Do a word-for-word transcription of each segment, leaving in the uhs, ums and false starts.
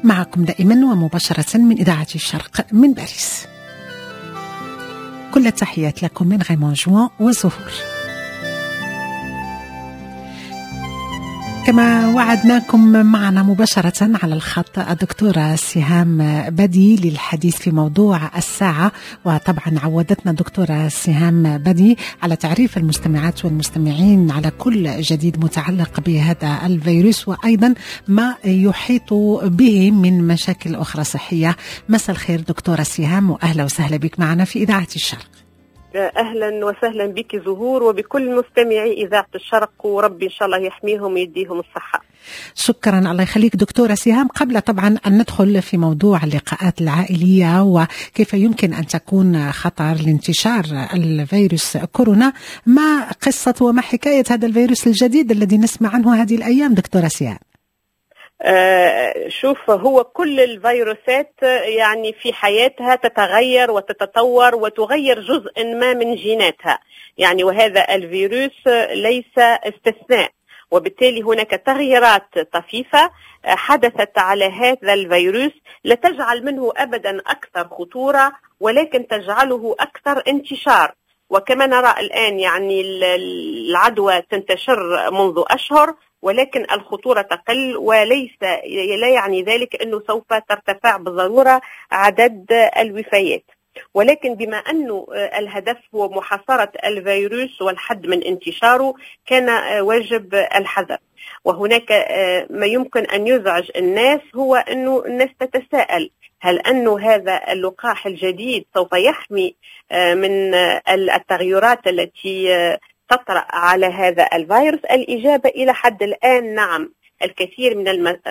معكم دائما ومباشرة من إذاعة الشرق من باريس. كل التحيات لكم من غيمون جوان وزهور. كما وعدناكم معنا مباشرة على الخط الدكتورة سهام بدي للحديث في موضوع الساعة، وطبعا عودتنا الدكتورة سهام بدي على تعريف المستمعات والمستمعين على كل جديد متعلق بهذا الفيروس وأيضا ما يحيط به من مشاكل أخرى صحية. مساء الخير دكتورة سهام، وأهلا وسهلا بك معنا في إذاعة الشرق. أهلا وسهلا بك زهور وبكل مستمعي إذاعة الشرق، وربي إن شاء الله يحميهم ويديهم الصحة. شكرا، الله يخليك دكتورة سهام. قبل طبعا أن ندخل في موضوع اللقاءات العائلية وكيف يمكن أن تكون خطر لانتشار الفيروس كورونا، ما قصة وما حكاية هذا الفيروس الجديد الذي نسمع عنه هذه الأيام دكتورة سهام؟ آه شوف، هو كل الفيروسات يعني في حياتها تتغير وتتطور وتغير جزء ما من جيناتها، يعني وهذا الفيروس ليس استثناء، وبالتالي هناك تغييرات طفيفة حدثت على هذا الفيروس لا تجعل منه أبدا أكثر خطورة، ولكن تجعله أكثر انتشار. وكما نرى الآن يعني العدوى تنتشر منذ أشهر، ولكن الخطورة تقل، وليس لا يعني ذلك أنه سوف ترتفع بالضرورة عدد الوفيات. ولكن بما أنه الهدف هو محاصرة الفيروس والحد من انتشاره، كان واجب الحذر. وهناك ما يمكن أن يزعج الناس هو أنه الناس تتساءل هل أنه هذا اللقاح الجديد سوف يحمي من التغيرات التي تطرأ على هذا الفيروس؟ الإجابة إلى حد الآن نعم. الكثير من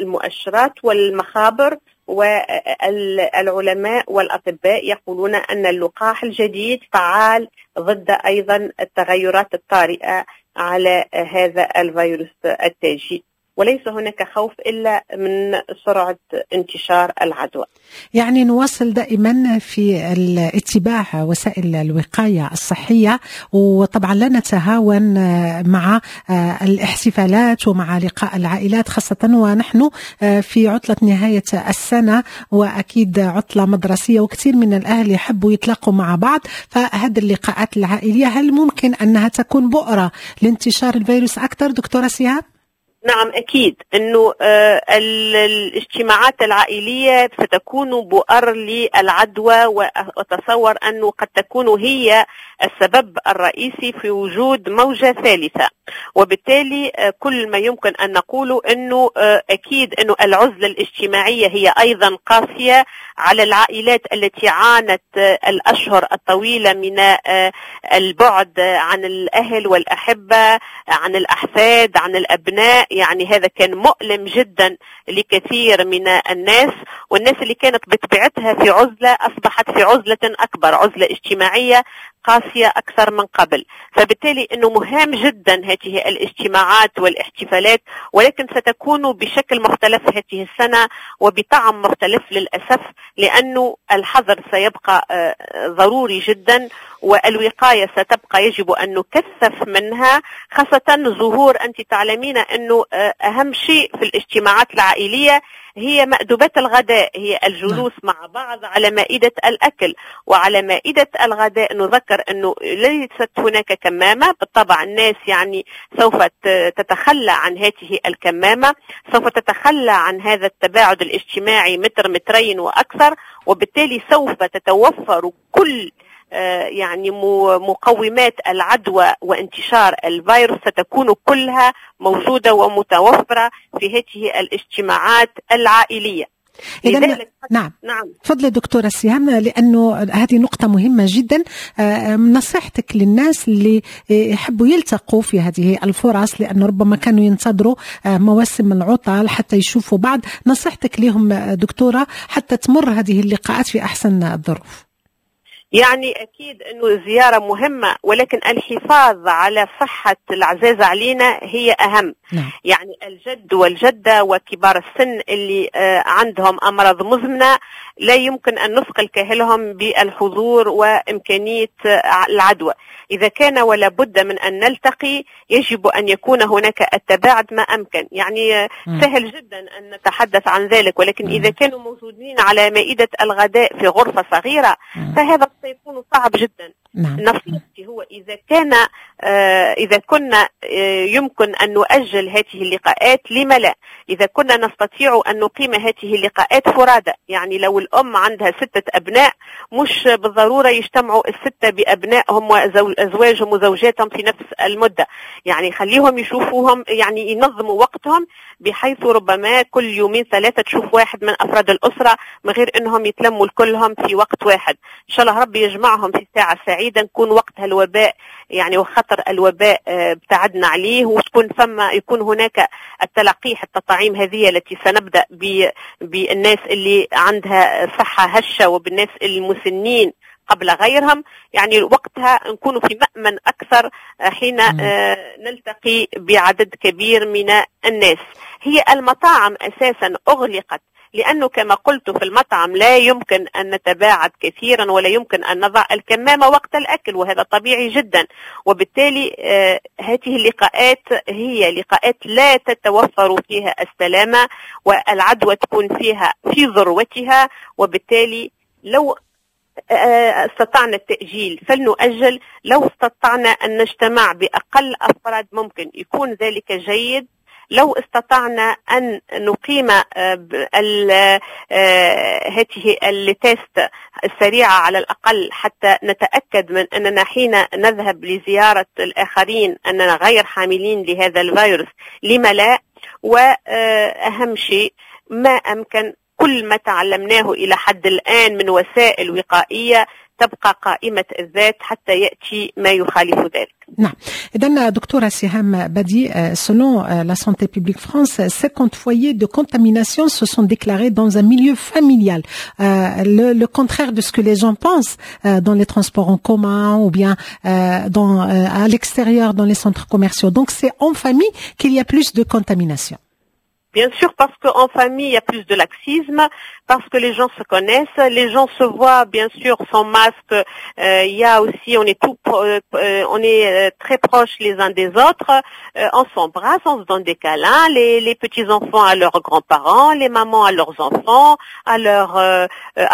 المؤشرات والمخابر والعلماء والأطباء يقولون أن اللقاح الجديد فعال ضد أيضا التغيرات الطارئة على هذا الفيروس التاجي، وليس هناك خوف إلا من سرعة انتشار العدوى. يعني نواصل دائما في اتباع وسائل الوقاية الصحية، وطبعا لا نتهاون مع الاحتفالات ومع لقاء العائلات، خاصة ونحن في عطلة نهاية السنة وأكيد عطلة مدرسية، وكثير من الأهل يحبوا يتلاقوا مع بعض. فهذه اللقاءات العائلية هل ممكن أنها تكون بؤرة لانتشار الفيروس أكثر دكتورة سهام؟ نعم أكيد أنه الاجتماعات العائلية ستكون بؤر للعدوى، وأتصور أنه قد تكون هي السبب الرئيسي في وجود موجة ثالثة. وبالتالي كل ما يمكن أن نقوله أنه أكيد أنه العزلة الاجتماعية هي أيضا قاسية على العائلات التي عانت الأشهر الطويلة من البعد عن الأهل والأحبة، عن الأحفاد، عن الأبناء. يعني هذا كان مؤلم جدا لكثير من الناس، والناس اللي كانت بطبيعتها في عزلة أصبحت في عزلة أكبر، عزلة اجتماعية قاسية أكثر من قبل. فبالتالي أنه مهم جدا هذه الاجتماعات والاحتفالات، ولكن ستكون بشكل مختلف هذه السنة وبطعم مختلف للأسف، لأنه الحذر سيبقى ضروري جدا، والوقاية ستبقى يجب أن نكثف منها، خاصة ظهور أنت تعلمين أنه أهم شيء في الاجتماعات العائلية هي مأدبات الغداء، هي الجلوس مع بعض على مائدة الأكل. وعلى مائدة الغداء نذكر أنه ليست هناك كمامة، بالطبع الناس يعني سوف تتخلى عن هذه الكمامة، سوف تتخلى عن هذا التباعد الاجتماعي متر مترين وأكثر، وبالتالي سوف تتوفر كل يعني مقومات العدوى وانتشار الفيروس ستكون كلها موجودة ومتوفرة في هذه الاجتماعات العائلية. إذن نعم نعم تفضلي دكتورة سهام، لأنه هذه نقطة مهمة جدا. نصيحتك للناس اللي يحبوا يلتقوا في هذه الفرص، لأنه ربما كانوا ينتظروا مواسم العطل حتى يشوفوا بعض، نصيحتك لهم دكتورة حتى تمر هذه اللقاءات في أحسن الظروف؟ يعني أكيد أنه الزيارة مهمة، ولكن الحفاظ على صحة العزاز علينا هي أهم. نعم. يعني الجد والجدة وكبار السن اللي عندهم أمراض مزمنة لا يمكن أن نثقل كاهلهم بالحضور وإمكانية العدوى. إذا كان ولا بد من أن نلتقي يجب أن يكون هناك التباعد ما أمكن. يعني مم. سهل جدا أن نتحدث عن ذلك، ولكن مم. إذا كانوا موجودين على مائدة الغداء في غرفة صغيرة مم. فهذا سيكون صعب جدا. نعم. نصيحتي هو إذا كان آه، إذا كنا آه، يمكن أن نؤجل هذه اللقاءات لما لا؟ إذا كنا نستطيع أن نقيم هذه اللقاءات فرادى، يعني لو الأم عندها ستة أبناء مش بالضرورة يجتمعوا الستة بأبنائهم وأزواجهم وزوجاتهم في نفس المدة، يعني خليهم يشوفوهم، يعني ينظموا وقتهم بحيث ربما كل يومين ثلاثة تشوف واحد من أفراد الأسرة من غير أنهم يتلموا كلهم في وقت واحد. إن شاء الله ربي يجمعهم في ساعة سعيدة، نكون وقتها الوباء يعني وخطر الوباء، آه، ابتعدنا عليه، وتكون ثم يكون هناك التلقيح التطعيم هذه التي سنبدأ ب-، بالناس اللي عندها صحة هشة وبالناس المسنين قبل غيرهم، يعني وقتها نكون في مأمن أكثر حين، مم. آه، نلتقي بعدد كبير من الناس. هي المطاعم أساسا أغلقت لأنه كما قلت في المطعم لا يمكن أن نتباعد كثيرا ولا يمكن أن نضع الكمامة وقت الأكل، وهذا طبيعي جدا. وبالتالي، آه، هذه اللقاءات هي لقاءات لا تتوفر فيها السلامة والعدوى تكون فيها في ذروتها، وبالتالي لو، آه، استطعنا التأجيل فلنؤجل، لو استطعنا أن نجتمع بأقل أفراد ممكن يكون ذلك جيد، لو استطعنا أن نقيم، آه، ب-، ال-، آه، هذه ال tests السريعة على الأقل حتى نتأكد من أننا حين نذهب لزيارة الآخرين أننا غير حاملين لهذا الفيروس، لما لا؟ وأهم شيء ما أمكن كل ما تعلمناه إلى حد الآن من وسائل وقائية تبقى قائمة الذات حتى يأتي ما يخالف ذلك. نعم. إذن دكتورة سهام بادي، selon la Santé publique France, cinquante foyers de contamination se sont déclarés dans un milieu familial. Euh, le, le contraire de ce que les gens pensent, euh, dans les transports en commun ou bien, euh, dans, euh, à l'extérieur dans les centres commerciaux. Donc c'est en famille qu'il y a plus de contamination. Bien sûr, parce qu'en famille, il y a plus de laxisme, parce que les gens se connaissent, les gens se voient, bien sûr, sans masque. Euh, il y a aussi, on est tout pro-, euh, on est, euh, très proches les uns des autres. Euh, on s'embrasse, on se donne des câlins, les, les petits-enfants à leurs grands-parents, les mamans à leurs enfants, à leurs, euh,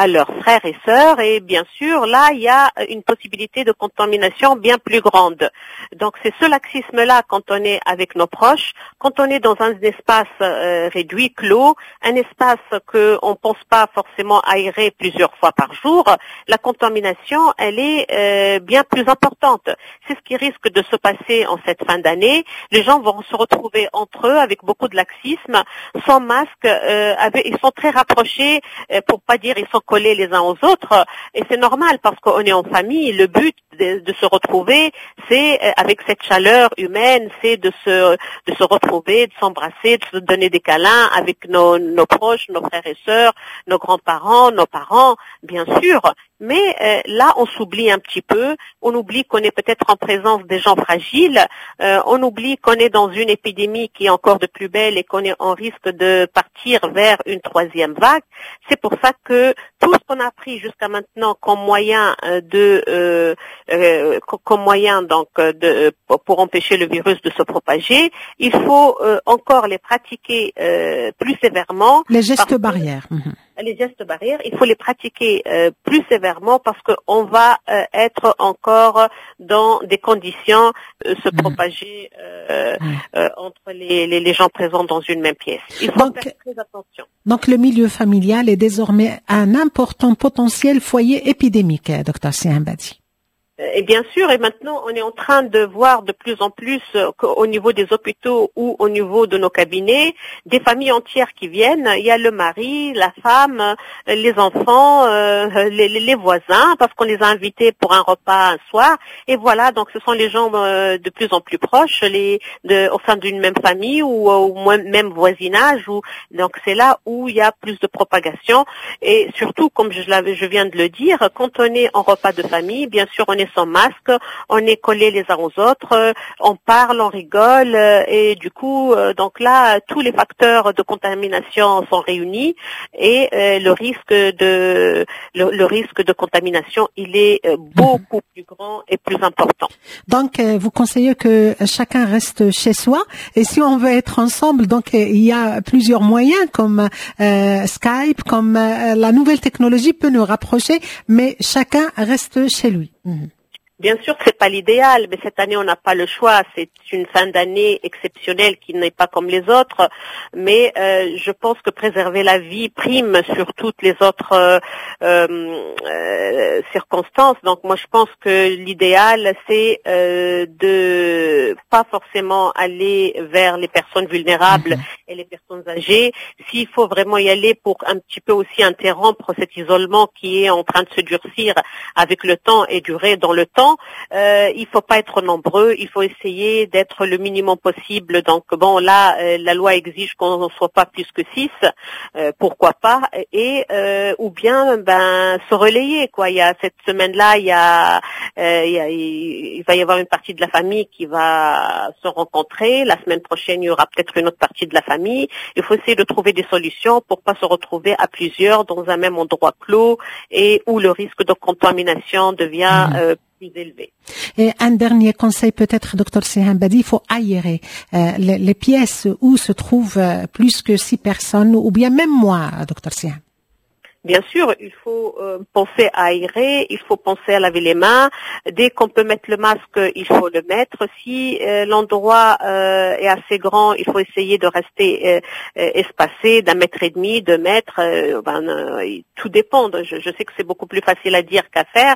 à leurs frères et sœurs. Et bien sûr, là, il y a une possibilité de contamination bien plus grande. Donc, c'est ce laxisme-là quand on est avec nos proches, quand on est dans un espace, euh, réduit, clos, un espace que on pense pas forcément aérer plusieurs fois par jour, la contamination, elle est, euh, bien plus importante. C'est ce qui risque de se passer en cette fin d'année. Les gens vont se retrouver entre eux avec beaucoup de laxisme, sans masque, euh, avec, ils sont très rapprochés, euh, pour pas dire ils sont collés les uns aux autres, et c'est normal parce qu'on est en famille. Le but de, de se retrouver, c'est, euh, avec cette chaleur humaine, c'est de se, de se retrouver, de s'embrasser, de se donner des câlins avec nos, nos proches, nos frères et sœurs, nos grands-parents, nos parents, bien sûr. Mais, euh, là, on s'oublie un petit peu, on oublie qu'on est peut-être en présence des gens fragiles, euh, on oublie qu'on est dans une épidémie qui est encore de plus belle et qu'on est en risque de partir vers une troisième vague. C'est pour ça que tout ce qu'on a pris jusqu'à maintenant comme moyen, euh, de, euh, euh, comme moyen donc, euh, de, pour empêcher le virus de se propager, il faut, euh, encore les pratiquer, euh, plus sévèrement. Les gestes Parce que barrières. Mhm. Les gestes barrières, il faut les pratiquer, euh, plus sévèrement parce qu'on va, euh, être encore dans des conditions, euh, se Mhm. propager, euh, Mhm. euh, entre les, les, les gens présents dans une même pièce. Il faut Donc, faire très attention. Donc le milieu familial est désormais un important potentiel foyer épidémique, docteur Siham Badi. Et bien sûr, et maintenant, on est en train de voir de plus en plus qu'au niveau des hôpitaux ou au niveau de nos cabinets, des familles entières qui viennent. Il y a le mari, la femme, les enfants, euh, les, les voisins, parce qu'on les a invités pour un repas un soir. Et voilà, donc ce sont les gens euh, de plus en plus proches, les, de, au sein d'une même famille ou au même voisinage. Ou, donc c'est là où il y a plus de propagation. Et surtout, comme je, je viens de le dire, quand on est en repas de famille, bien sûr, on est sans masque, on est collés les uns aux autres, on parle, on rigole, et du coup, donc là, tous les facteurs de contamination sont réunis et le risque de le, le risque de contamination, il est beaucoup plus grand et plus important. Donc, vous conseillez que chacun reste chez soi, et si on veut être ensemble, donc il y a plusieurs moyens comme euh, Skype, comme euh, la nouvelle technologie peut nous rapprocher, mais chacun reste chez lui. Mmh. Bien sûr que c'est pas l'idéal, mais cette année on n'a pas le choix. C'est une fin d'année exceptionnelle qui n'est pas comme les autres. Mais euh, je pense que préserver la vie prime sur toutes les autres euh, euh, circonstances. Donc moi je pense que l'idéal c'est euh, de pas forcément aller vers les personnes vulnérables mmh. et les personnes âgées. S'il faut vraiment y aller pour un petit peu aussi interrompre cet isolement qui est en train de se durcir avec le temps et durer dans le temps. Euh, il faut pas être nombreux, il faut essayer d'être le minimum possible. Donc bon, là, euh, la loi exige qu'on ne soit pas plus que six, euh, pourquoi pas, et euh, ou bien ben se relayer quoi. Il y a cette semaine-là, il y a, euh, il, y a, il va y avoir une partie de la famille qui va se rencontrer. La semaine prochaine, il y aura peut-être une autre partie de la famille. Il faut essayer de trouver des solutions pour pas se retrouver à plusieurs dans un même endroit clos et où le risque de contamination devient mmh. euh, plus élevé. Et un dernier conseil peut-être, docteur Siham Badi, il faut aérer euh, les, les pièces où se trouvent euh, plus que six personnes ou bien même moins, docteur Siham. Bien sûr, il faut euh, penser à aérer, il faut penser à laver les mains. Dès qu'on peut mettre le masque, il faut le mettre. Si euh, l'endroit euh, est assez grand, il faut essayer de rester euh, espacé d'un mètre et demi, deux mètres. Euh, ben, euh, tout dépend. Je, je sais que c'est beaucoup plus facile à dire qu'à faire,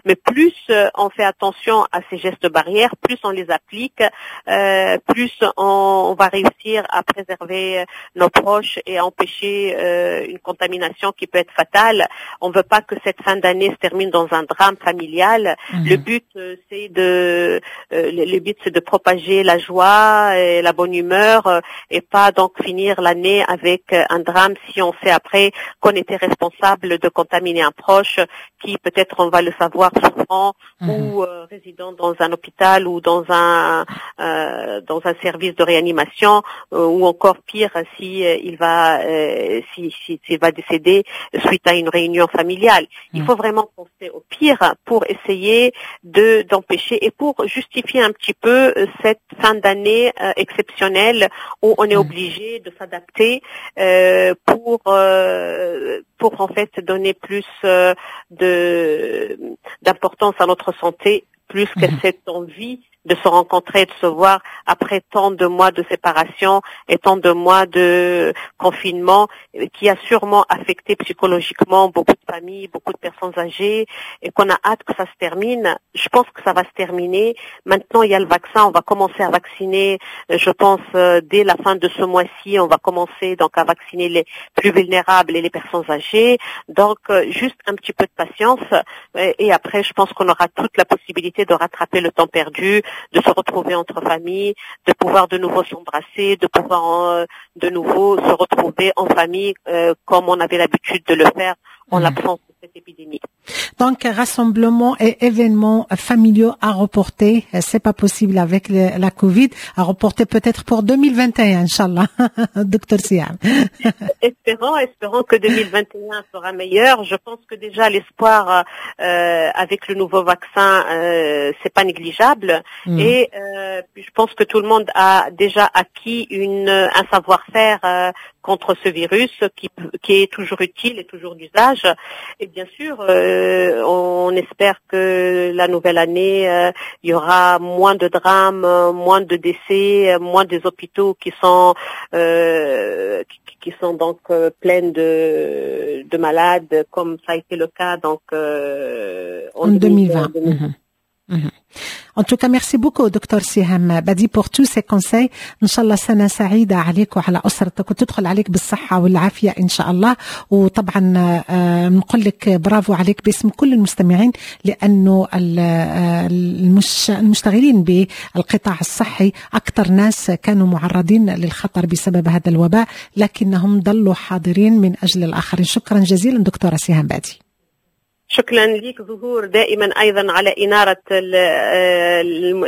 mais plus euh, on fait attention à ces gestes barrières, plus on les applique, euh, plus on, on va réussir à préserver nos proches et à empêcher euh, une contamination qui peut être fatale. On ne veut pas que cette fin d'année se termine dans un drame familial. Mmh. Le but, c'est de, euh, le but, c'est de propager la joie et la bonne humeur euh, et pas donc finir l'année avec un drame si on sait après qu'on était responsable de contaminer un proche qui peut-être on va le savoir souffrant mmh. ou euh, résident dans un hôpital ou dans un euh, dans un service de réanimation euh, ou encore pire si euh, il va euh, si, si, s'il va décéder suite à une réunion familiale. Il faut vraiment penser au pire pour essayer de d'empêcher et pour justifier un petit peu cette fin d'année euh, exceptionnelle où on est obligé de s'adapter euh, pour euh, pour en fait donner plus euh, de d'importance à notre santé, plus que cette envie de se rencontrer, de se voir après tant de mois de séparation et tant de mois de confinement qui a sûrement affecté psychologiquement beaucoup de familles, beaucoup de personnes âgées et qu'on a hâte que ça se termine. Je pense que ça va se terminer. Maintenant, il y a le vaccin. On va commencer à vacciner, je pense, dès la fin de ce mois-ci. On va commencer donc à vacciner les plus vulnérables et les personnes âgées. Donc, juste un petit peu de patience et après, je pense qu'on aura toute la possibilité de rattraper le temps perdu, de se retrouver entre familles, de pouvoir de nouveau s'embrasser, de pouvoir euh, de nouveau se retrouver en famille euh, comme on avait l'habitude de le faire en mmh. l'absence de cette épidémie. Donc, rassemblement et événements familiaux à reporter, c'est pas possible avec le, la Covid, à reporter peut-être pour deux mille vingt et un, إن شاء الله, docteur Siham. Espérons, espérons que deux mille vingt et un sera meilleur. Je pense que déjà l'espoir euh, avec le nouveau vaccin, euh, c'est pas négligeable. Mmh. Et euh, je pense que tout le monde a déjà acquis une, un savoir-faire euh, contre ce virus qui, qui est toujours utile et toujours d'usage. Et bien sûr, euh, on espère que la nouvelle année, euh, il y aura moins de drames, moins de décès, moins des hôpitaux qui sont euh, qui, qui sont donc euh, pleins de, de malades, comme ça a été le cas donc euh, en, en deux mille vingt. deux mille vingt. Mmh. En tout cas, merci beaucoup, docteur Siham Badi, pour tous ces conseils. إن شاء الله سنة سعيدة عليك وعلى أسرتك وتدخل عليك بالصحة والعافية إن شاء الله. وطبعا آه، نقول لك برافو عليك باسم كل المستمعين، لأنه آه، المشتغلين بالقطاع الصحي أكثر ناس كانوا معرضين للخطر بسبب هذا الوباء، لكنهم ظلوا حاضرين من أجل الآخرين. شكرا جزيلا دكتورة سهام بادي. شكرا لك زهور، دائما ايضا على انارة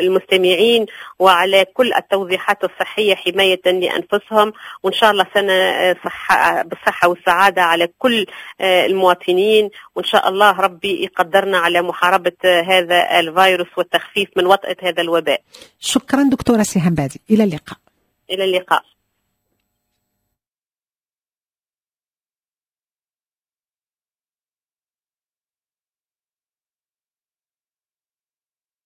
المستمعين وعلى كل التوضيحات الصحية حماية لانفسهم، وان شاء الله سنة صحة بالصحة والسعادة على كل المواطنين، وان شاء الله ربي يقدرنا على محاربة هذا الفيروس والتخفيف من وطأة هذا الوباء. شكرا دكتورة سهام بادي، الى اللقاء. الى اللقاء.